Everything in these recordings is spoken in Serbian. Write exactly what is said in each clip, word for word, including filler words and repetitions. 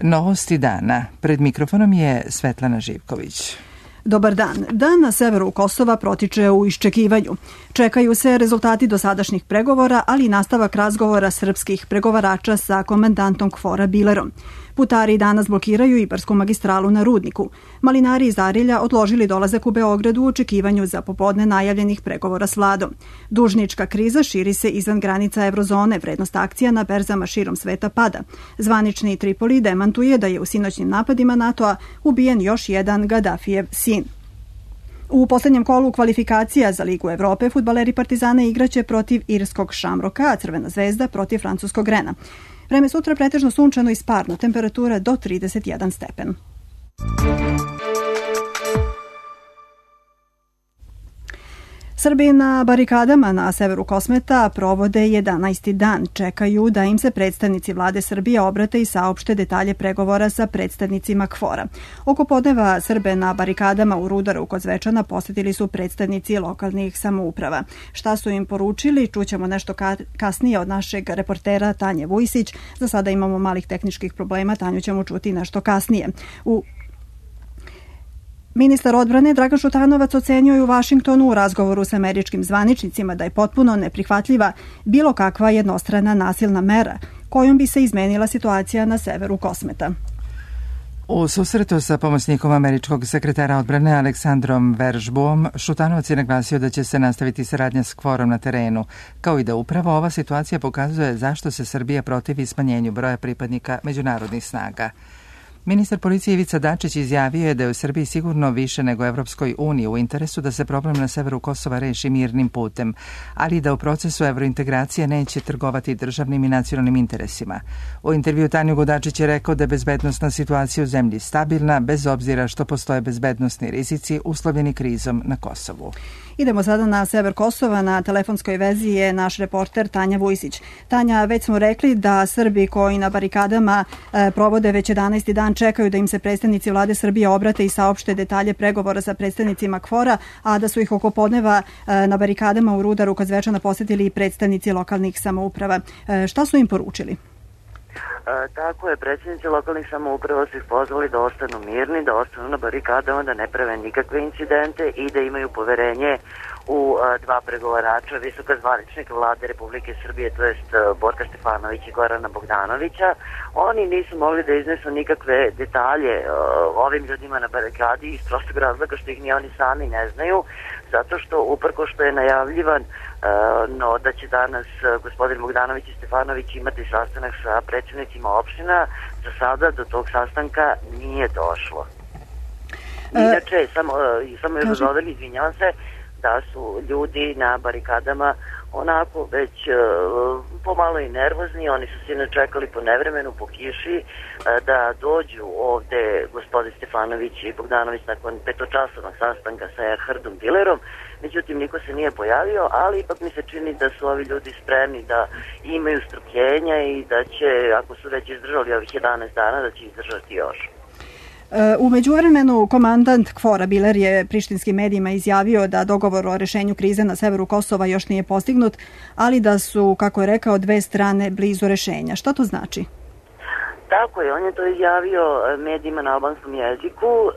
Novosti dana. Pred mikrofonom je Svetlana Živković. Dobar dan. Dan na severu Kosova protiče u iščekivanju. Čekaju se rezultati dosadašnjih pregovora, ali i nastavak razgovora srpskih pregovarača sa komandantom KFOR-a Bilerom. Putari danas blokiraju Ibarsku magistralu na Rudniku. Malinari iz Arilja odložili dolazak u Beogradu u očekivanju za popodne najavljenih pregovora s vladom. Dužnička kriza širi se izvan granica eurozone, vrednost akcija na berzama širom sveta pada. Zvanični Tripoli demantuje da je u sinoćnim napadima NATO-a ubijen još jedan Gaddafijev sin. U poslednjem kolu kvalifikacija za Ligu Evrope fudbaleri Partizana igraće protiv irskog Šamroka, a Crvena zvezda protiv francuskog Rena. Vreme sutra pretežno sunčano i sparno, temperatura do trideset jedan stepen. Srbi na barikadama na severu Kosmeta provode jedanaesti dan. Čekaju da im se predstavnici vlade Srbije obrate i saopšte detalje pregovora sa predstavnicima KFOR-a. Oko podneva Srbe na barikadama u Rudaru kod Zvečana posetili su predstavnici lokalnih samouprava. Šta su im poručili, čućemo nešto kasnije od našeg reportera Tanje Vujsić. Za sada imamo malih tehničkih problema, Tanju ćemo čuti nešto kasnije. U Ministar odbrane Dragan Šutanovac ocenio je u Vašingtonu u razgovoru sa američkim zvaničnicima da je potpuno neprihvatljiva bilo kakva jednostrana nasilna mera kojom bi se izmenila situacija na severu Kosmeta. U susretu sa pomoćnikom američkog sekretara odbrane Aleksandrom Veržbuom, Šutanovac je naglasio da će se nastaviti saradnja s KFOR-om na terenu, kao i da upravo ova situacija pokazuje zašto se Srbija protivi smanjenju broja pripadnika međunarodnih snaga. Ministar policije Ivica Dačić izjavio je da je u Srbiji sigurno više nego Evropskoj uniji u interesu da se problem na severu Kosova reši mirnim putem, ali da u procesu evrointegracije neće trgovati državnim i nacionalnim interesima. U intervju Tanju Godačić je rekao da je bezbednosna situacija u zemlji stabilna, bez obzira što postoje bezbednosni rizici uslovljeni krizom na Kosovu. Idemo sada na sever Kosova. Na telefonskoj vezi je naš reporter Tanja Vujsić. Tanja, već smo rekli da Srbi koji na barikadama e, provode već jedanaesti dan čekaju da im se predstavnici vlade Srbije obrate i saopšte detalje pregovora sa predstavnicima KFOR-a, a da su ih oko podneva e, na barikadama u Rudaru kod Zvečana posetili i predstavnici lokalnih samouprava. E, šta su im poručili? E, tako je, predsjednici lokalnih samouprava su ih pozvali da ostanu mirni, da ostanu na barikadama, da ne prave nikakve incidente i da imaju poverenje u a, dva pregovarača, visoka zvaničnika vlade Republike Srbije, to jest Borka Stefanovića i Gorana Bogdanovića. Oni nisu mogli da iznesu nikakve detalje a, ovim ljudima na barikadi iz prostog razloga što ih ni oni sami ne znaju, zato što uprko što je najavljivan a, no, da će danas a, gospodin Bogdanović i Stefanović imati sastanak sa predsjednicima opština, za sada do tog sastanka nije došlo. Inače, samo, samo još dodam, izvinjavam se, da su ljudi na barikadama onako već uh, pomalo i nervozni. Oni su se čekali po nevremenu, po kiši, uh, da dođu ovde gospodin Stefanović i Bogdanović nakon petočasovnog sastanka sa Erhardom Bilerom. Međutim, niko se nije pojavio, ali ipak mi se čini da su ovi ljudi spremni da imaju strpljenja i da će, ako su već izdržali ovih jedanaest dana, da će izdržati još. U međuvremenu, komandant KFOR-a Biler je prištinskim medijima izjavio da dogovor o rešenju krize na severu Kosova još nije postignut, ali da su, kako je rekao, dve strane blizu rešenja. Šta to znači? Tako je, on je to izjavio medijima na albanskom jeziku,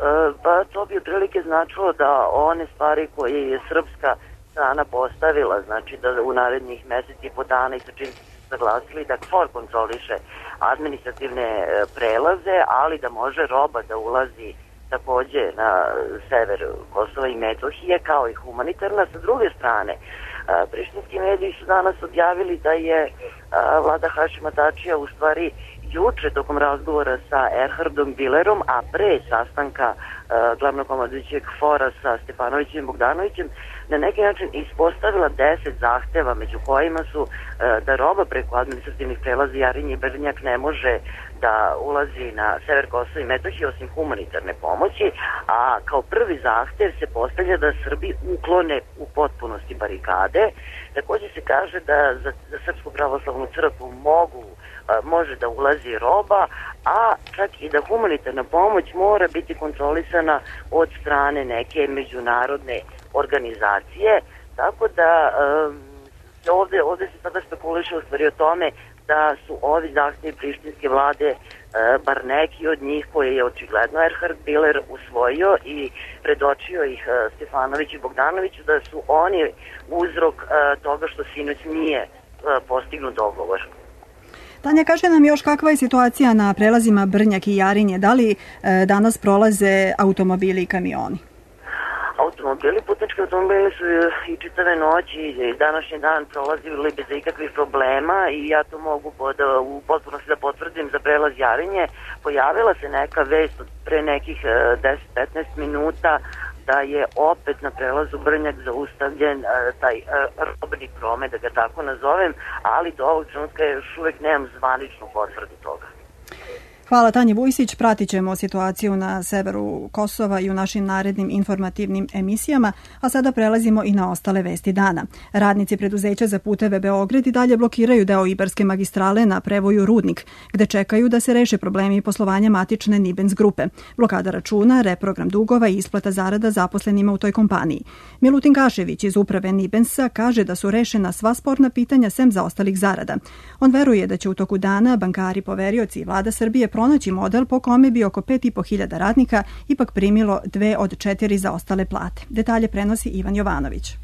pa to bi otprilike značilo da one stvari koje je srpska strana postavila, znači da u narednih mesec i po dana i sa čim saglasili da KFOR kontroliše administrativne prelaze, ali da može roba da ulazi takođe na sever Kosova i Metohije, kao i humanitarna. Sa druge strane, prištinski mediji su danas objavili da je vlada Hašima Tačija u stvari juče tokom razgovora sa Erhardom Bilerom, a pre sastanka uh, glavnog komandujućeg KFOR-a sa Stefanovićem i Bogdanovićem, na neki način ispostavila deset zahteva, među kojima su uh, da roba preko administrativnih prelaza Jarinje i Brnjak ne može da ulazi na sever Kosova i Metohije osim humanitarne pomoći, a kao prvi zahtev se postavlja da Srbi uklone u potpunosti barikade. Takođe se kaže da za, za Srpsku pravoslavnu crkvu mogu može da ulazi roba, a čak i da humanitarna pomoć mora biti kontrolisana od strane neke međunarodne organizacije, tako da um, ovde, ovde se sada spekuliše u stvari o tome da su ovi zahtjevi prištinske vlade, bar neki od njih koje je očigledno Erhard Biller usvojio i predočio ih Stefanoviću i Bogdanoviću, da su oni uzrok toga što sinoć nije postignut dogovor. Tanja, kaže nam još kakva je situacija na prelazima Brnjak i Jarinje. Da li danas prolaze automobili i kamioni? Automobili, putnički automobili su i čitave noći i današnji dan prolazili bez ikakvih problema i ja to mogu pod, u potpunosti da potvrdim za prelaz Jarinje. Pojavila se neka vest od pre nekih deset do petnaest minuta da je opet na prelazu Brnjak zaustavljen uh, taj uh, robni promet, da ga tako nazovem, ali do ovog trenutka još uvek nemam zvaničnu potvrdu toga. Hvala Tanji Vujsić, pratit ćemo situaciju na severu Kosova i u našim narednim informativnim emisijama, a sada prelazimo i na ostale vesti dana. Radnici preduzeća za puteve Beograd i dalje blokiraju deo Ibarske magistrale na prevoju Rudnik, gde čekaju da se reše problemi poslovanja matične Nibens grupe, blokada računa, reprogram dugova i isplata zarada zaposlenima u toj kompaniji. Milutin Kašević iz uprave Nibensa kaže da su rešena sva sporna pitanja sem zaostalih zarada. On veruje da će u toku dana bankari, poverioci i vlada Srbije pronaći model po kome bi oko pet i po hiljada radnika ipak primilo dve od četiri zaostale plate. Detalje prenosi Ivan Jovanović.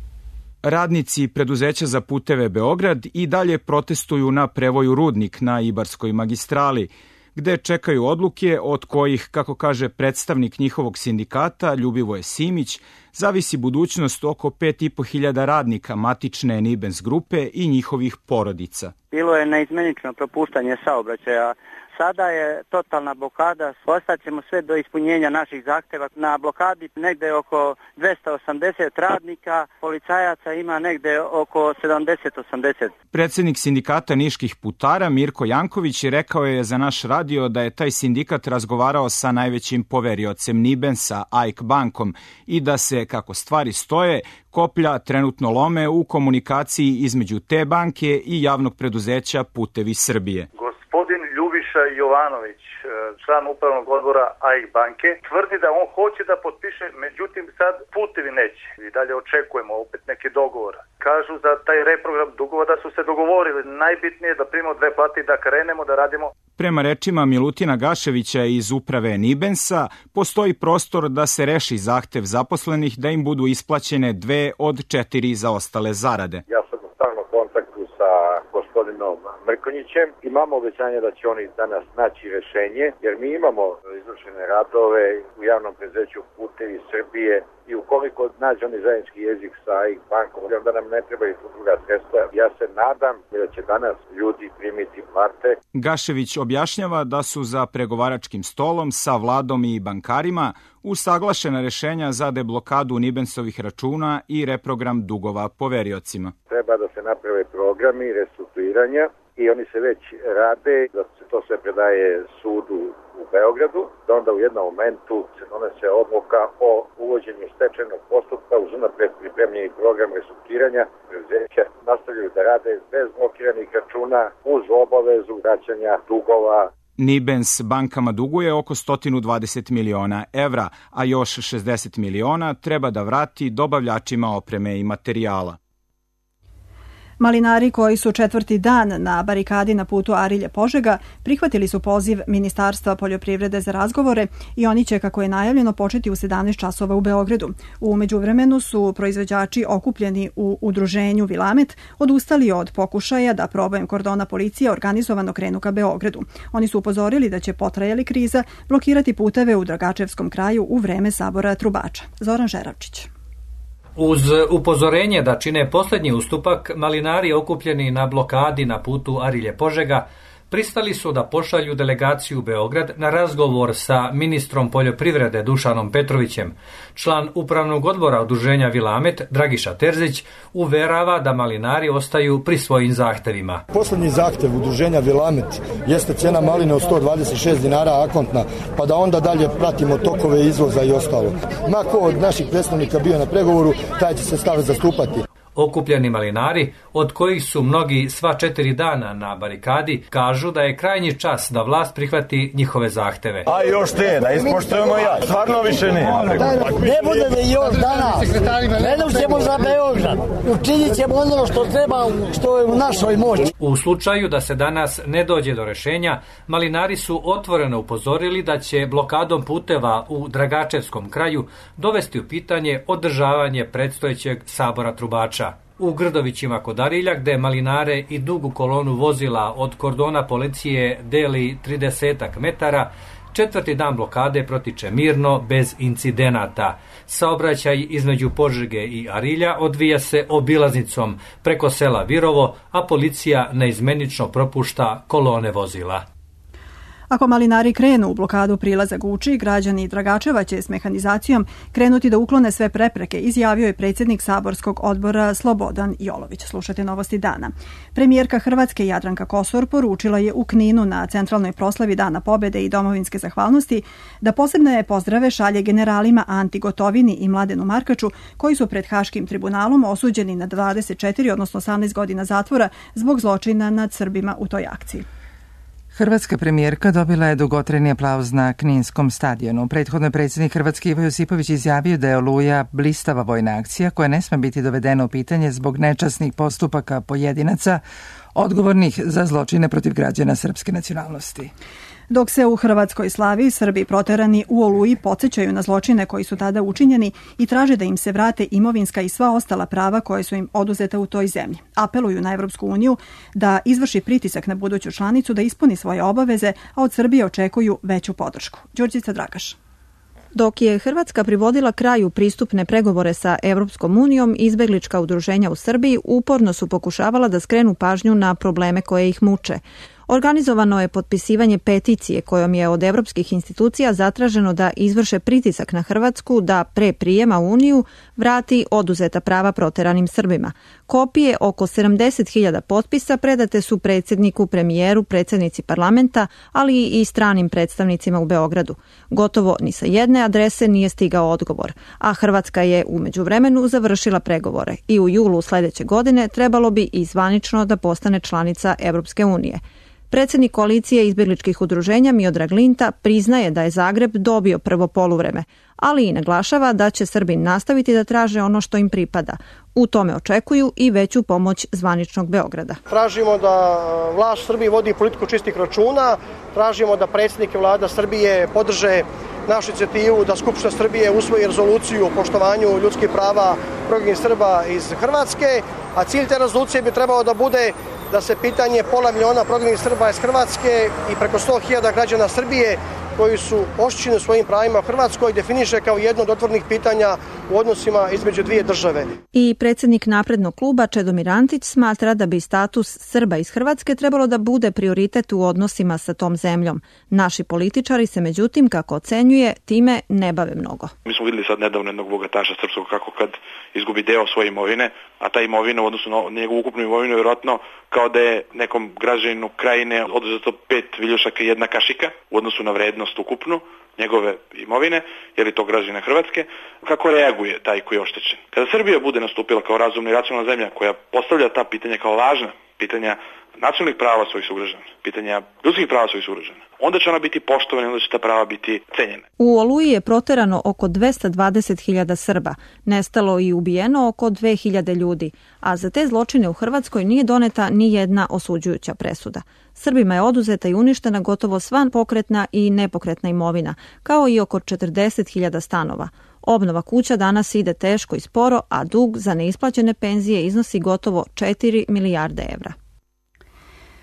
Radnici preduzeća za puteve Beograd i dalje protestuju na prevoju Rudnik na Ibarskoj magistrali, gde čekaju odluke od kojih, kako kaže predstavnik njihovog sindikata Ljubivoje Simić, zavisi budućnost oko pet i po hiljada radnika matične Nibens grupe i njihovih porodica. Bilo je neizmenično propuštanje saobraćaja. Sada je totalna blokada, ostaćemo sve do ispunjenja naših zahteva. Na blokadi negde oko dvesta osamdeset radnika, policajaca ima negde oko sedamdeset do osamdeset. Predsednik sindikata niških putara Mirko Janković rekao je za naš radio da je taj sindikat razgovarao sa najvećim poveriocem Nibensa, A I K bankom, i da se, kako stvari stoje, koplja trenutno lome u komunikaciji između te banke i javnog preduzeća Putevi Srbije. Gospodin Ljubiša Jovanović, član upravnog odbora A I K banke, tvrdi da on hoće da potpiše, međutim sad Putevi neće. I dalje očekujemo opet neke dogovora. Kažu za taj reprogram dugova da su se dogovorili. Najbitnije je da primimo dve plate i da krenemo da radimo. Prema rečima Milutina Gaševića iz uprave Nibensa, postoji prostor da se reši zahtev zaposlenih da im budu isplaćene dve od četiri zaostale zarade. Ja sam u stalnom kontaktu sa gospodinom Mrkonjićem. Imamo obećanje da će oni danas naći rešenje, jer mi imamo izvršene radove u javnom preduzeću Putevi Srbije i ukoliko nađe oni zajednički jezik sa A I K bankom, onda nam ne trebaju druga sredstva. Ja se nadam da će danas ljudi primiti plate. Gašević objašnjava da su za pregovaračkim stolom sa vladom i bankarima usaglašena rešenja za deblokadu Nibensovih računa i reprogram dugova poveriocima. Treba da se naprave programi restrukturiranja i oni se već rade, da se to sve predaje sudu u Beogradu, da onda u jednom momentu se donese odluka o uvođenju stečajnog postupka uz unapred pripremljeni program restrukturiranja. Preduzeća nastavljaju da rade bez blokiranih računa uz obavezu vraćanja dugova. Nibens bankama duguje oko sto dvadeset miliona evra, a još šezdeset miliona treba da vrati dobavljačima opreme i materijala. Malinari koji su četvrti dan na barikadi na putu Arilje-Požega prihvatili su poziv Ministarstva poljoprivrede za razgovore i oni će, kako je najavljeno, početi u sedamnaest časova u Beogradu. U međuvremenu su proizvođači okupljeni u udruženju Vilamet odustali od pokušaja da probojem kordona policije organizovano krenu ka Beogradu. Oni su upozorili da će, potrajali kriza, blokirati puteve u Dragačevskom kraju u vreme sabora trubača. Zoran Žeravčić. Uz upozorenje da čine posljednji ustupak, malinari okupljeni na blokadi na putu Arilje-Požega pristali su da pošalju delegaciju u Beograd na razgovor sa ministrom poljoprivrede Dušanom Petrovićem. Član upravnog odbora udruženja Vilamet, Dragiša Terzić, uverava da malinari ostaju pri svojim zahtevima. Poslednji zahtev udruženja Vilamet jeste cena maline od sto dvadeset šest dinara akontna, pa da onda dalje pratimo tokove izvoza i ostalo. Ma ko od naših predstavnika bio na pregovoru, taj će se stav zastupati. Okupljeni malinari, od kojih su mnogi sva četiri dana na barikadi, kažu da je krajnji čas da vlast prihvati njihove zahteve. A još te, da ispoštujemo ja. Stvarno više ne. Ne bude da još danas. Gledam ćemo za Beograd. Učinit ćemo ono što treba, što je u našoj moći. U slučaju da se danas ne dođe do rešenja, malinari su otvoreno upozorili da će blokadom puteva u Dragačevskom kraju dovesti u pitanje održavanje predstojećeg sabora trubača. U Grdovićima kod Arilja, gde malinare i dugu kolonu vozila od kordona policije deli tridesetak metara, četvrti dan blokade protiče mirno, bez incidenata. Saobraćaj između Požege i Arilja odvija se obilaznicom preko sela Virovo, a policija neizmenično propušta kolone vozila. Ako malinari krenu u blokadu prilaza Guči, građani Dragačeva će s mehanizacijom krenuti da uklone sve prepreke, izjavio je predsjednik saborskog odbora Slobodan Jolović. Slušajte novosti dana. Premijerka Hrvatske Jadranka Kosor poručila je u Kninu na centralnoj proslavi Dana pobjede i domovinske zahvalnosti da posebne pozdrave šalje generalima Anti Gotovini i Mladenu Markaču, koji su pred Haškim tribunalom osuđeni na dvadeset četiri, odnosno osamnaest godina zatvora zbog zločina nad Srbima u toj akciji. Hrvatska premijerka dobila je dugotrajni aplauz na Kninskom stadionu. Prethodno je predsjednik Hrvatske Ivo Josipović izjavio da je Oluja blistava vojna akcija koja ne sme biti dovedena u pitanje zbog nečasnih postupaka pojedinaca odgovornih za zločine protiv građana srpske nacionalnosti. Dok se u Hrvatskoj slavi, Srbi proterani u Oluji podsjećaju na zločine koji su tada učinjeni i traže da im se vrate imovinska i sva ostala prava koje su im oduzeta u toj zemlji. Apeluju na Evropsku uniju da izvrši pritisak na buduću članicu da ispuni svoje obaveze, a od Srbije očekuju veću podršku. Đurđica Dragaš. Dok je Hrvatska privodila kraju pristupne pregovore sa Evropskom unijom, izbeglička udruženja u Srbiji uporno su pokušavala da skrenu pažnju na probleme koje ih muče. Organizovano je potpisivanje peticije kojom je od evropskih institucija zatraženo da izvrše pritisak na Hrvatsku da pre prijema u Uniju vrati oduzeta prava proteranim Srbima. Kopije oko sedamdeset hiljada potpisa predate su predsjedniku, premijeru, predsjednici parlamenta, ali i stranim predstavnicima u Beogradu. Gotovo ni sa jedne adrese nije stigao odgovor, a Hrvatska je u međuvremenu završila pregovore i u julu sljedeće godine trebalo bi i zvanično da postane članica Evropske unije. Predsjednik koalicije izbjegličkih udruženja Miodrag Linta priznaje da je Zagreb dobio prvo poluvreme, ali i naglašava da će Srbi nastaviti da traže ono što im pripada. U tome očekuju i veću pomoć zvaničnog Beograda. Tražimo da vlast Srbije vodi politiku čistih računa, tražimo da predsjednik i vlada Srbije podrže našu inicijativu da Skupština Srbije usvoji rezoluciju o poštovanju ljudskih prava prognanih Srba iz Hrvatske, a cilj te rezolucije bi trebao da bude da se pitanje pola miliona prognanih Srba iz Hrvatske i preko sto hiljada građana Srbije koji su oštećeni u svojim pravima u Hrvatskoj definiše kao jedno od otvorenih pitanja u odnosima između dvije države. I predsjednik naprednog kluba Čedomir Antić smatra da bi status Srba iz Hrvatske trebalo da bude prioritet u odnosima sa tom zemljom. Naši političari se međutim, kako ocenjuje, time ne bave mnogo. Mi smo vidjeli sad nedavno jednog bogataša srpskog kako kad izgubi deo svoje imovine, a ta imovina u odnosu na njegovu ukupnu imovinu je vjerojatno kao da je nekom građaninu krajine oduzeto pet viljušaka i jedna kašika u odnosu na vrednost ukupnu njegove imovine, je li to građanina Hrvatske, kako reaguje taj koji je oštećen. Kada Srbija bude nastupila kao razumna i racionalna zemlja koja postavlja ta pitanja kao važna, pitanja nacionalnih prava svojih sugrađana, pitanja ljudskih prava svojih sugrađana, onda će ona biti poštovana i onda će ta prava biti cenjena. U Oluji je proterano oko dvesta dvadeset hiljada Srba, nestalo i ubijeno oko dve hiljade ljudi, a za te zločine u Hrvatskoj nije doneta ni jedna osuđujuća presuda. Srbima je oduzeta i uništena gotovo sva pokretna i nepokretna imovina, kao i oko četrdeset hiljada stanova. Obnova kuća danas ide teško i sporo, a dug za neisplaćene penzije iznosi gotovo četiri milijarde evra.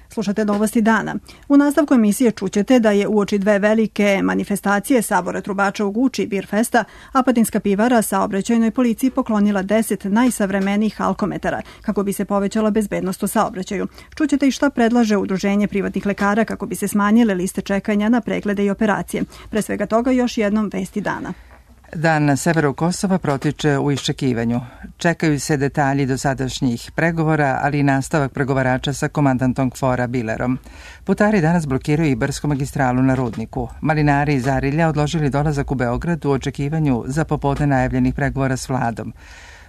Slušate novosti dana. U nastavku emisije čućete da je uoči dve velike manifestacije Sabora trubača u Guči Birfesta, Apatinska pivara saobraćajnoj policiji poklonila deset najsavremenijih alkometara kako bi se povećala bezbednost u saobraćaju. Čućete i šta predlaže Udruženje privatnih lekara kako bi se smanjile liste čekanja na preglede i operacije. Pre svega toga još jednom vesti dana. Dan na severu Kosova protiče u iščekivanju. Čekaju se detalji dosadašnjih pregovora, ali i nastavak pregovarača sa komandantom KFOR-a Bilerom. Putari danas blokiraju Ibarsku magistralu na Rudniku. Malinari iz Arilja odložili dolazak u Beograd u očekivanju za popodne najavljenih pregovora s vladom.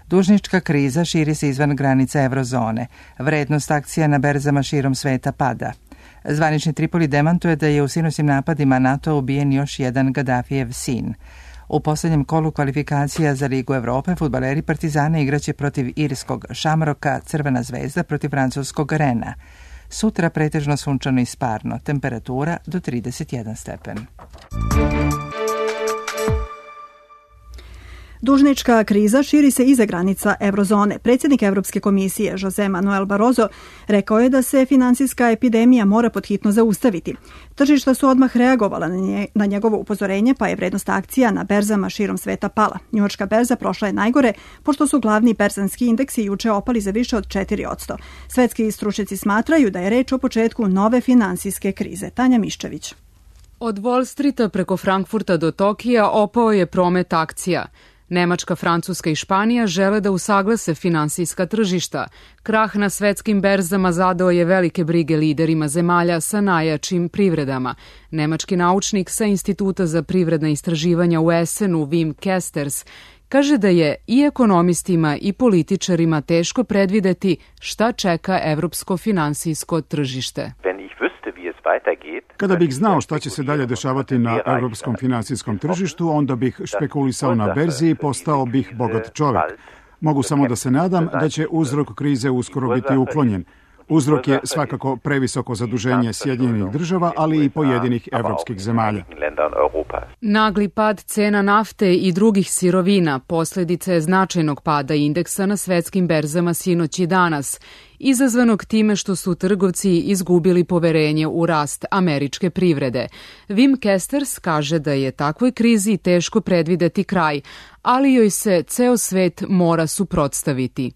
Dužnička kriza širi se izvan granica eurozone. Vrednost akcija na berzama širom sveta pada. Zvanični Tripoli demantuje da je u sinoćnim napadima NATO ubijen još jedan Gadafijev sin. U posljednjem kolu kvalifikacija za Ligu Evrope fudbaleri Partizana igraće protiv irskog Šamroka, Crvena zvezda protiv francuskog Rena. Sutra pretežno sunčano i sparno, temperatura do trideset jedan stepen. Dužnička kriza širi se iza granica eurozone. Predsjednik Evropske komisije Jose Manuel Barroso rekao je da se finansijska epidemija mora podhitno zaustaviti. Tržišta su odmah reagovala na njegovo upozorenje, pa je vrednost akcija na berzama širom sveta pala. Njujorška berza prošla je najgore, pošto su glavni berzanski indeksi juče opali za više od četiri posto. Svetski stručnjaci smatraju da je reč o početku nove finansijske krize. Tanja Miščević. Od Wall Streeta preko Frankfurta do Tokija opao je promet akcija. Nemačka, Francuska i Španija žele da usaglase finansijska tržišta. Krah na svetskim berzama zadao je velike brige liderima zemalja sa najjačim privredama. Nemački naučnik sa Instituta za privredna istraživanja u Essenu, Wim Kesters, kaže da je i ekonomistima i političarima teško predvideti šta čeka evropsko finansijsko tržište. Kada bih znao šta će se dalje dešavati na evropskom finansijskom tržištu, onda bih špekulisao na berzi i postao bih bogat čovjek. Mogu samo da se nadam da će uzrok krize uskoro biti uklonjen. Uzrok je svakako previsoko zaduženje Sjedinjenih država, ali i pojedinih evropskih zemalja. Nagli pad cena nafte i drugih sirovina posljedica je značajnog pada indeksa na svetskim berzama sinoć i danas, izazvanog time što su trgovci izgubili poverenje u rast američke privrede. Wim Kesters kaže da je takvoj krizi teško predvideti kraj, ali joj se ceo svet mora suprotstaviti.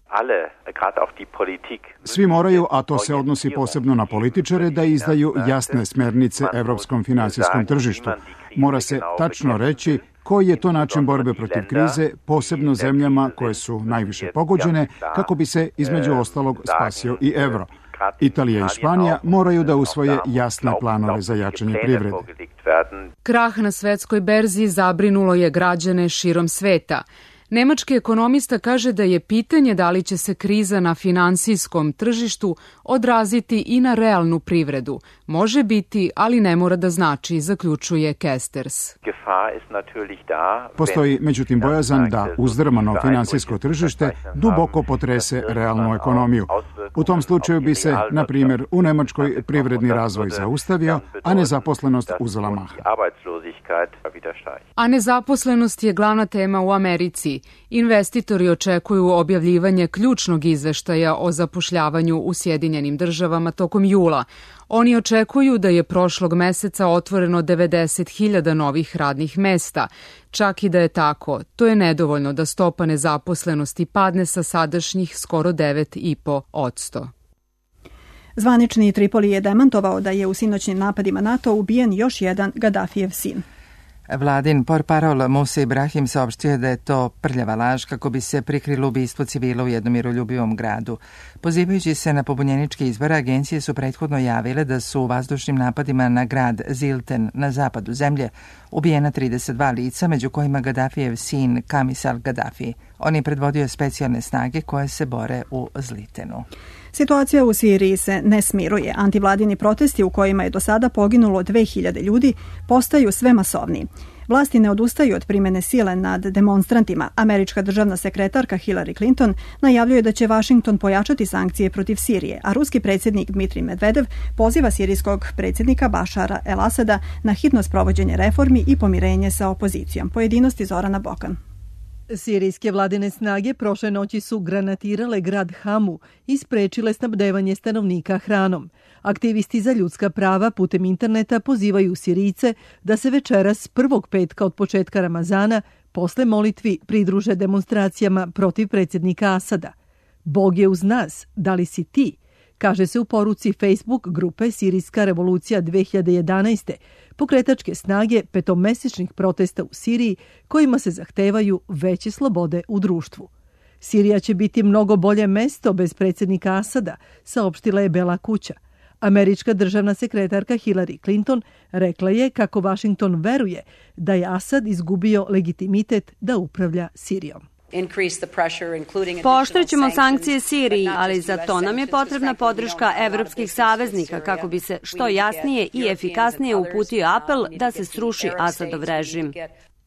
Svi moraju, a to se odnosi posebno na političare, da izdaju jasne smernice evropskom finansijskom tržištu. Mora se tačno reći koji je to način borbe protiv krize, posebno zemljama koje su najviše pogođene, kako bi se između ostalog spasio i evro. Italija i Španija moraju da usvoje jasne planove za jačanje privrede. Krah na svetskoj berzi zabrinulo je građane širom sveta. Nemački ekonomista kaže da je pitanje da li će se kriza na finansijskom tržištu odraziti i na realnu privredu. Može biti, ali ne mora da znači, zaključuje Kesters. Postoji međutim bojazan da uzdrmano finansijsko tržište duboko potrese realnu ekonomiju. U tom slučaju bi se, na primjer, u Nemačkoj privredni razvoj zaustavio, a nezaposlenost uzela maha. A nezaposlenost je glavna tema u Americi. Investitori očekuju objavljivanje ključnog izveštaja o zapošljavanju u Sjedinjenim državama tokom jula. Oni očekuju da je prošlog meseca otvoreno devedeset hiljada novih radnih mesta. Čak i da je tako, to je nedovoljno da stopa nezaposlenosti padne sa sadašnjih skoro devet i po posto. Zvanični Tripoli je demantovao da je u sinoćnim napadima NATO ubijen još jedan Gadafijev sin. Vladin portparol Musa Ibrahim saopštio da je to prljava laž kako bi se prikrilo ubistvo civila u jednom miroljubivom gradu. Pozivajući se na pobunjeničke izbore, agencije su prethodno javile da su u vazdušnim napadima na grad Zilten na zapadu zemlje ubijena trideset dva lica, među kojima Gadafijev sin Kamis al-Gaddafi. On je predvodio specijalne snage koje se bore u Zlitenu. Situacija u Siriji se ne smiruje. Antivladini protesti u kojima je do sada poginulo dve hiljade ljudi postaju sve masovniji. Vlasti ne odustaju od primjene sile nad demonstrantima. Američka državna sekretarka Hillary Clinton najavljuje da će Washington pojačati sankcije protiv Sirije, a ruski predsjednik Dmitrij Medvedev poziva sirijskog predsjednika Bašara el-Asada na hitno sprovođenje reformi i pomirenje sa opozicijom. Pojedinosti Zorana Bokan. Sirijske vladine snage prošle noći su granatirale grad Hamu i sprečile snabdevanje stanovnika hranom. Aktivisti za ljudska prava putem interneta pozivaju Sirijce da se večeras prvog petka od početka Ramazana posle molitvi pridruže demonstracijama protiv predsjednika Asada. Bog je uz nas, da li si ti? Kaže se u poruci Facebook grupe Sirijska revolucija dve hiljade jedanaeste, pokretačke snage petomesečnih protesta u Siriji kojima se zahtevaju veće slobode u društvu. Sirija će biti mnogo bolje mesto bez predsjednika Asada, saopštila je Bela kuća. Američka državna sekretarka Hillary Clinton rekla je kako Washington veruje da je Asad izgubio legitimitet da upravlja Sirijom. Pooštrećemo sankcije Siriji, ali za to nam je potrebna podrška evropskih saveznika kako bi se što jasnije i efikasnije uputio apel da se sruši Asadov režim.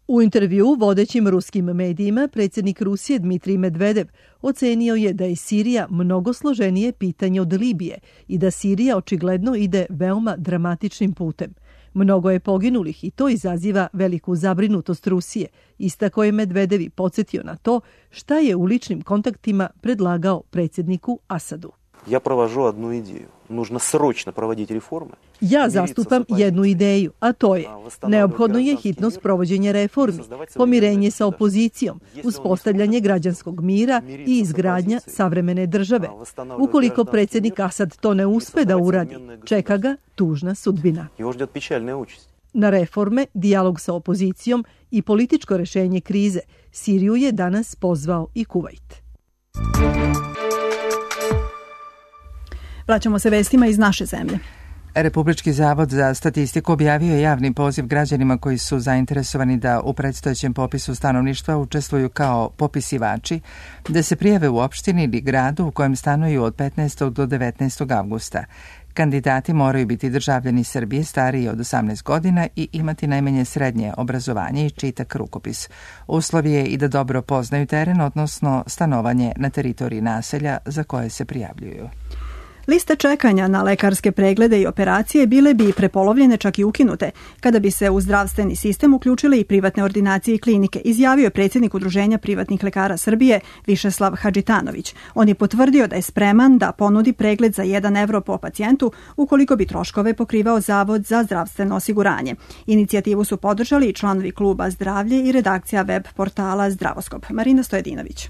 U intervjuu vodećim ruskim medijima predsjednik Rusije Dmitrij Medvedev ocenio je da je Sirija mnogo složenije pitanje od Libije i da Sirija očigledno ide veoma dramatičnim putem. Mnogo je poginulih i to izaziva veliku zabrinutost Rusije, istako je Medvedev i podsjetio na to šta je u ličnim kontaktima predlagao predsjedniku Asadu. Ja provažu jednu ideju. Nužno sročno provoditi reforme. Ja zastupam jednu ideju, a to je neophodno je hitno sprovođenje reformi, pomirenje sa opozicijom, uspostavljanje građanskog mira i izgradnja savremene države. Ukoliko predsjednik Asad to ne uspe da uradi, čeka ga tužna sudbina. Na reforme, dijalog sa opozicijom i političko rešenje krize, Siriju je danas pozvao i Kuvajt. Vraćamo se vestima iz naše zemlje. Republički zavod za statistiku objavio je javni poziv građanima koji su zainteresovani da u predstojećem popisu stanovništva učestvuju kao popisivači, da se prijave u opštini ili gradu u kojem stanuju od petnaestog do devetnaestog avgusta. Kandidati moraju biti državljani Srbije stariji od osamnaest godina i imati najmanje srednje obrazovanje i čitak rukopis. Uslov je i da dobro poznaju teren, odnosno stanovanje na teritoriji naselja za koje se prijavljuju. Liste čekanja na lekarske preglede i operacije bile bi prepolovljene, čak i ukinute, kada bi se u zdravstveni sistem uključile i privatne ordinacije i klinike, izjavio je predsjednik Udruženja privatnih lekara Srbije Višeslav Hadžitanović. On je potvrdio da je spreman da ponudi pregled za jedan evro po pacijentu ukoliko bi troškove pokrivao Zavod za zdravstveno osiguranje. Inicijativu su podržali i članovi kluba Zdravlje i redakcija web portala Zdravoskop. Marina Stojedinović.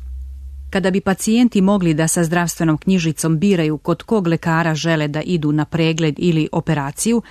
Kada bi pacijenti mogli da sa zdravstvenom knjižicom biraju kod kog lekara žele da idu na pregled ili operaciju,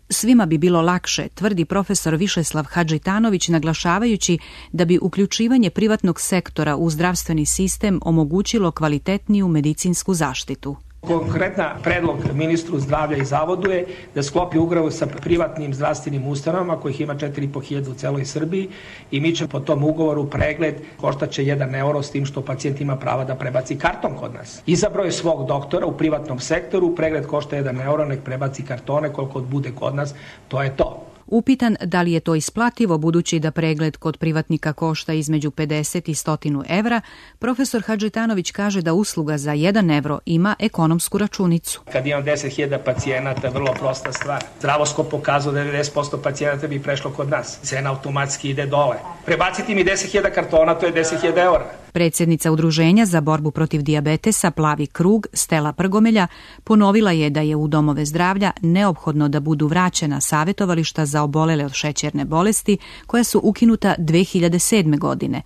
svima bi bilo lakše, tvrdi profesor Višeslav Hadžitanović, naglašavajući da bi uključivanje privatnog sektora u zdravstveni sistem omogućilo kvalitetniju medicinsku zaštitu. Konkretna predlog ministru zdravlja i zavodu je da sklopi ugovor sa privatnim zdravstvenim ustanovama, kojih ima četiri i po hiljade u celoj Srbiji, i mi će po tom ugovoru pregled koštaće jedan euro, s tim što pacijent ima prava da prebaci karton kod nas. Izabrao je svog doktora u privatnom sektoru, pregled košta jedan euro, nek prebaci kartone koliko bude kod nas, to je to. Upitan da li je to isplativo budući da pregled kod privatnika košta između pedeset i sto evra, profesor Hadžitanović kaže da usluga za jedan evro ima ekonomsku računicu. Kad imam deset hiljada pacijenata, vrlo prosta stvar. Zdravoskop pokazao da devedeset posto pacijenata bi prešlo kod nas. Cena automatski ide dole. Prebaciti mi deset hiljada kartona, to je deset hiljada eura. Predsjednica Udruženja za borbu protiv dijabetesa Plavi krug, Stela Prgomelja, ponovila je da je u domove zdravlja neophodno da budu vraćena savjetovališta za obolele od šećerne bolesti, koja su ukinuta dve hiljade sedme. godine.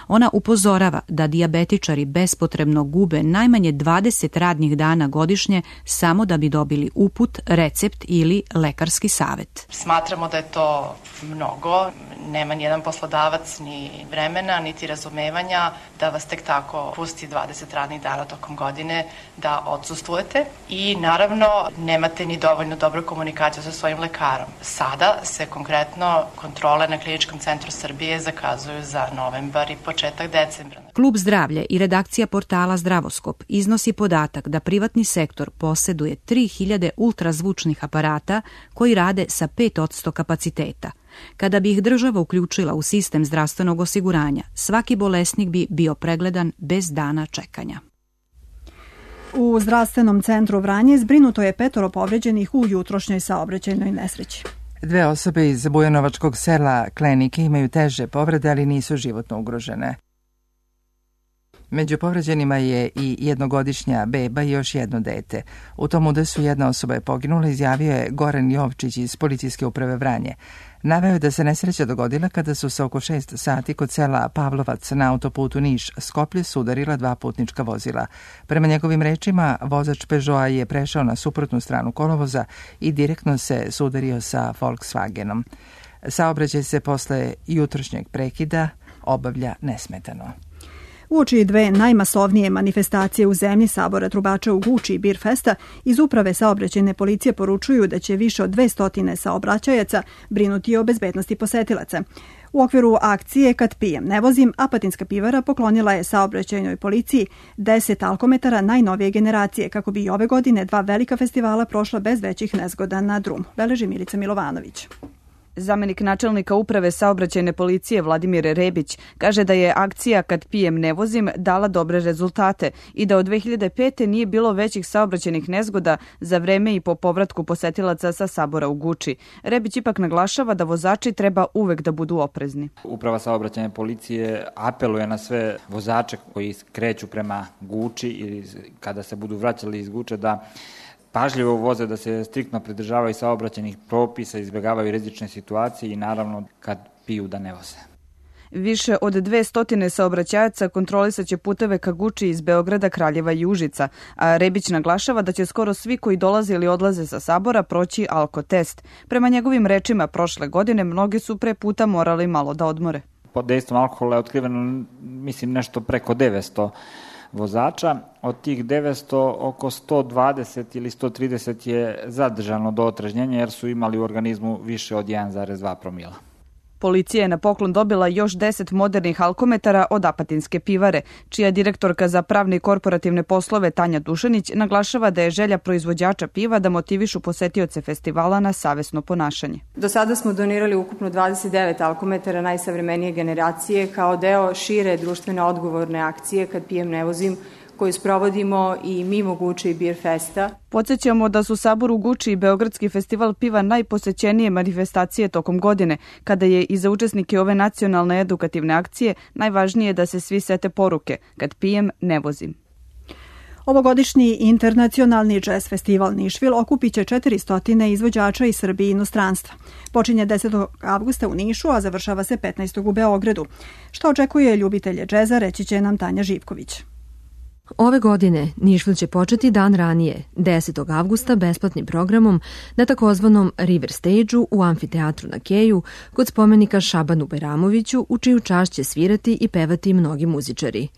Ona upozorava da dijabetičari bespotrebno gube najmanje dvadeset radnih dana godišnje samo da bi dobili uput, recept ili lekarski savjet. Smatramo da je to mnogo. Nema nijedan poslodavac ni vremena, niti razumevanja da vas tek tako pusti dvadeset radnih dana tokom godine da odsustujete i naravno nemate ni dovoljno dobru komunikaciju sa svojim lekarom. Sada se konkretno kontrole na Kliničkom centru Srbije zakazuju za novembar i početak decembra. Klub Zdravlje i redakcija portala Zdravoskop iznosi podatak da privatni sektor posjeduje tri hiljade ultrazvučnih aparata koji rade sa pet posto kapaciteta. Kada bi ih država uključila u sistem zdravstvenog osiguranja, svaki bolesnik bi bio pregledan bez dana čekanja. U zdravstvenom centru Vranje zbrinuto je petoro povređenih u jutrošnjoj saobraćajnoj nesreći. Dve osobe iz bujanovačkog sela Klenike imaju teže povrede, ali nisu životno ugrožene. Među povređenima je i jednogodišnja beba i još jedno dete. U tom udesu jedna osoba je poginula, izjavio je Goran Jovčić iz policijske uprave Vranje. Naveo je da se nesreća dogodila kada su se oko šest sati kod sela Pavlovac na autoputu Niš-Skoplje sudarila dva putnička vozila. Prema njegovim rečima, vozač Peugeota je prešao na suprotnu stranu kolovoza i direktno se sudario sa Volkswagenom. Saobraćaj se posle jutrošnjeg prekida obavlja nesmetano. Uoči dve najmasovnije manifestacije u zemlji Sabora trubača u Guči i Beer Festa, iz uprave saobraćajne policije poručuju da će više od dvesta saobraćajaca brinuti o bezbednosti posetilaca. U okviru akcije Kad pijem ne vozim, Apatinska pivara poklonila je saobraćajnoj policiji deset alkometara najnovije generacije, kako bi i ove godine dva velika festivala prošla bez većih nezgoda na drumu. Beleži Milica Milovanović. Zamenik načelnika uprave saobraćajne policije Vladimir Rebić kaže da je akcija Kad pijem ne vozim dala dobre rezultate i da od dve hiljade pete. nije bilo većih saobraćajnih nezgoda za vreme i po povratku posetilaca sa Sabora u Guči. Rebić ipak naglašava da vozači treba uvek da budu oprezni. Uprava saobraćajne policije apeluje na sve vozače koji kreću prema Guči i kada se budu vraćali iz Guče da pažljivo voze, da se striktno pridržavaju saobraćajnih propisa, izbjegavaju rizične situacije i naravno kad piju da ne voze. Više od dvesta saobraćajaca kontrolisaće puteve ka Guči iz Beograda, Kraljeva i Užica, a Rebić naglašava da će skoro svi koji dolaze ili odlaze sa Sabora proći alkotest. Prema njegovim rečima, prošle godine mnogi su pre puta morali malo da odmore. Pod dejstvom alkohola je otkriveno, mislim, nešto preko devetsto vozača. Od tih devetsto oko sto dvadeset ili sto trideset je zadržano do otrežnjenja jer su imali u organizmu više od jedan zarez dva promila. Policija je na poklon dobila još deset modernih alkometara od Apatinske pivare, čija direktorka za pravne i korporativne poslove Tanja Dušanić naglašava da je želja proizvođača piva da motivišu posetioce festivala na savesno ponašanje. Do sada smo donirali ukupno dvadeset devet alkometara najsavremenije generacije kao deo šire društveno odgovorne akcije Kad pijem ne vozim, koju sprovodimo i mimo Guče i Beer Festa. Podsjećamo da su Sabor u Guči i Beogradski festival piva najposećenije manifestacije tokom godine, kada je i za učesnike ove nacionalne edukativne akcije najvažnije da se svi sete poruke Kad pijem ne vozim. Ovogodišnji internacionalni džez festival Nišvil okupit će četiristo izvođača iz Srbije i inostranstva. Počinje desetog avgusta u Nišu, a završava se petnaestog u Beogradu. Što očekuje ljubitelje džeza, reći će nam Tanja Živković. Ove godine Nišvil će početi dan ranije, desetog avgusta, besplatnim programom na takozvanom River Stage-u u amfiteatru na Keju kod spomenika Šabanu Bajramoviću, u čiju čast će svirati i pevati mnogi muzičari.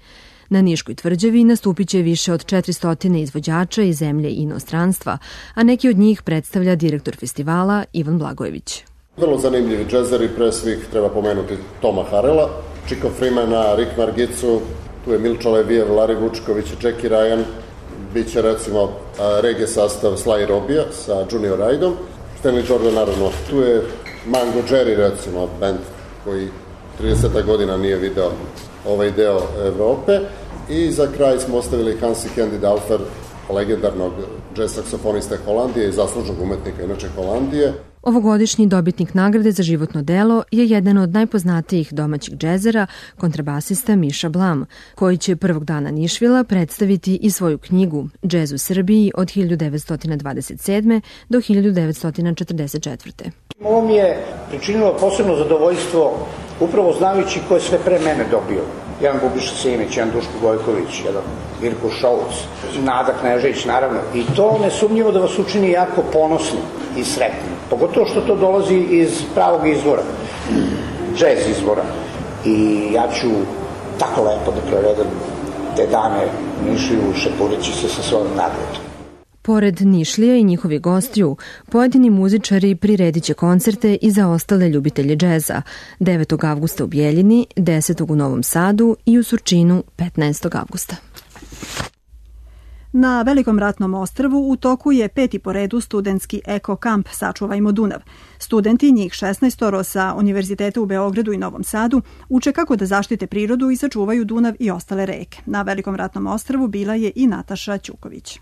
Na Niškoj tvrđavi nastupit će više od četiristo izvođača iz zemlje i inostranstva, a neki od njih predstavlja direktor festivala Ivan Blagojević. Vrlo zanimljivi džezeri, pre svih treba pomenuti Toma Harela, Chico Freemana, Rick Margicu, tu je Milča Levijev, Larry Vučković, Jackie Ryan, bit će recimo reggae sastav Sly Robija sa Junior Raidom, Stanley Jordan naravno, tu je Mango Jerry recimo, band koji trideset godina nije video ovaj deo Evrope i za kraj smo ostavili Hansi Candy Dalfer, legendarnog jazz saksofonista Holandije i zaslužnog umetnika inače Holandije. Ovogodišnji dobitnik nagrade za životno delo je jedan od najpoznatijih domaćih džezera, kontrabasista Miša Blam, koji će prvog dana Nišvila predstaviti i svoju knjigu Džez u Srbiji od hiljadu devetsto dvadeset sedme. do hiljadu devetsto četrdeset četvrte. Ovo mi je pričinilo posebno zadovoljstvo upravo znajući ko je sve pre mene dobio. Jedan Bubiša Simić, jedan Duško Gojković, jedan Virko Šolc, Nada Knežević naravno. I to nesumnjivo da vas učini jako ponosni i sretni. Pogotovo što to dolazi iz pravog izvora, džez izvora. I ja ću tako lepo da provedem te dane Nišliju šepureći se sa svojom nagradom. Pored Nišlija i njihovi gostiju, pojedini muzičari priredit će koncerte i za ostale ljubitelje džeza, devetog avgusta u Bijeljini, desetog u Novom Sadu i u Surčinu petnaestog avgusta. Na Velikom ratnom ostrvu u toku je peti po redu studentski eko kamp Sačuvajmo Dunav. Studenti, njih šesnaest sa Univerziteta u Beogradu i Novom Sadu, uče kako da zaštite prirodu i sačuvaju Dunav i ostale reke. Na Velikom ratnom ostrvu bila je i Nataša Ćuković.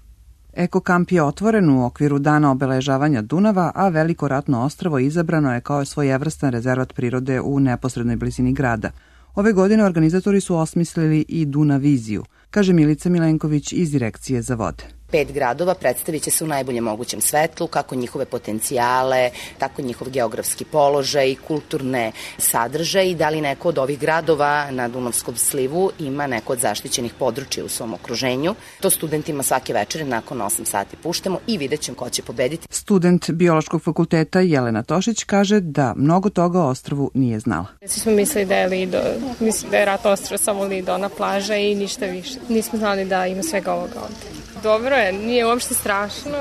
Eko kamp je otvoren u okviru dana obeležavanja Dunava, a Veliko ratno ostrvo izabrano je kao svojevrstan rezervat prirode u neposrednoj blizini grada. Ove godine organizatori su osmislili i Dunaviziju, kaže Milica Milenković iz Direkcije za vode. pet gradova predstavit će se u najboljem mogućem svetlu, kako njihove potencijale, tako njihov geografski položaj, kulturne sadržaje i da li neko od ovih gradova na Dunavskom slivu ima neko od zaštićenih područja u svom okruženju. To studentima svake večere nakon osam sati puštamo i vidjet ćemo ko će pobediti. Student Biološkog fakulteta Jelena Tošić kaže da mnogo toga o ostrvu nije znala. Svi smo mislili da je Lido, mislim da je Rat ostrvo samo Lido, ona plaža i ništa više. Nismo znali da ima svega ovoga ovde. Dobro je, nije uopšte strašno,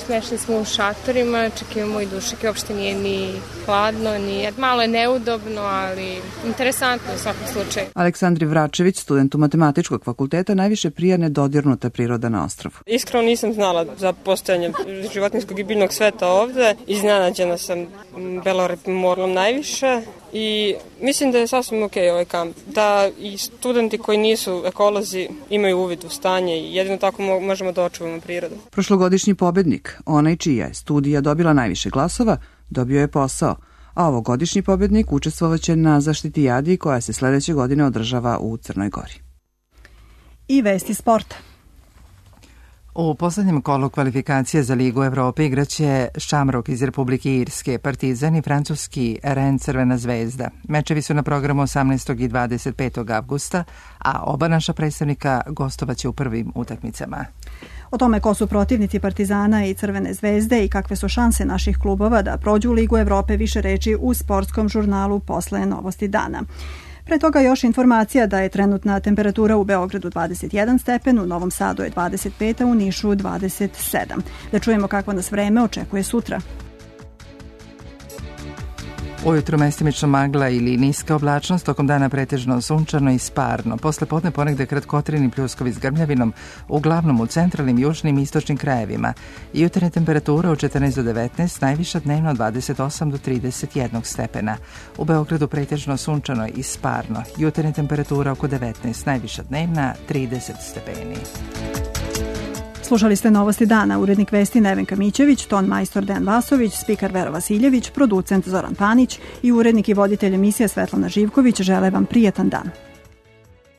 smešni smo u šatorima, čak imamo i dušike, uopšte nije ni hladno, ni, malo je neudobno, ali interesantno u svakom slučaju. Aleksandri Vračević, student Matematičkog fakulteta, najviše prija nedodirnuta priroda na ostrvu. Iskreno nisam znala za postojanje životinjskog i biljnog sveta ovde, iznenađena sam belorepim morlom najviše. I mislim da je sasvim ok ovaj kamp, da i studenti koji nisu ekolozi imaju uvid u stanje i jedino tako možemo da očuvamo prirodu. Prošlogodišnji pobednik, onaj čija je studija dobila najviše glasova, dobio je posao, a ovogodišnji pobednik učestvovaće na zaštitijadi koja se sledeće godine održava u Crnoj Gori. I vesti sporta. U poslednjem kolu kvalifikacije za Ligu Evrope igraće Shamrock iz Republike Irske, Partizan i francuski Rennes Crvena zvezda. Mečevi su na programu osamnaestog i dvadeset petog avgusta, a oba naša predstavnika gostovaće u prvim utakmicama. O tome ko su protivnici Partizana i Crvene zvezde i kakve su šanse naših klubova da prođu u Ligu Evrope više reči u sportskom žurnalu posle Novosti dana. Pre toga još informacija da je trenutna temperatura u Beogradu dvadeset jedan stepen, u Novom Sadu je dvadeset pet, a u Nišu dvadeset sedam. Da čujemo kako nas vreme očekuje sutra. Ujutro mestimično magla ili niska oblačnost, tokom dana pretežno sunčano i sparno. Posle podne ponegde kratkotrini pljuskovi s grmljavinom, uglavnom u centralnim, južnim i istočnim krajevima. Jutarnje temperature od četrnaest do devetnaest, najviša dnevno od dvadeset osam do trideset jedan stepena. U Beogradu pretežno sunčano i sparno. Jutarnje temperatura oko devetnaest, najviša dnevna trideset stepeni. Slušali ste Novosti dana, urednik vesti Nevenka Mićević, ton majstor Dejan Vasović, spikar Vera Vasiljević, producent Zoran Panić i urednik i voditelj emisije Svetlana Živković žele vam prijetan dan.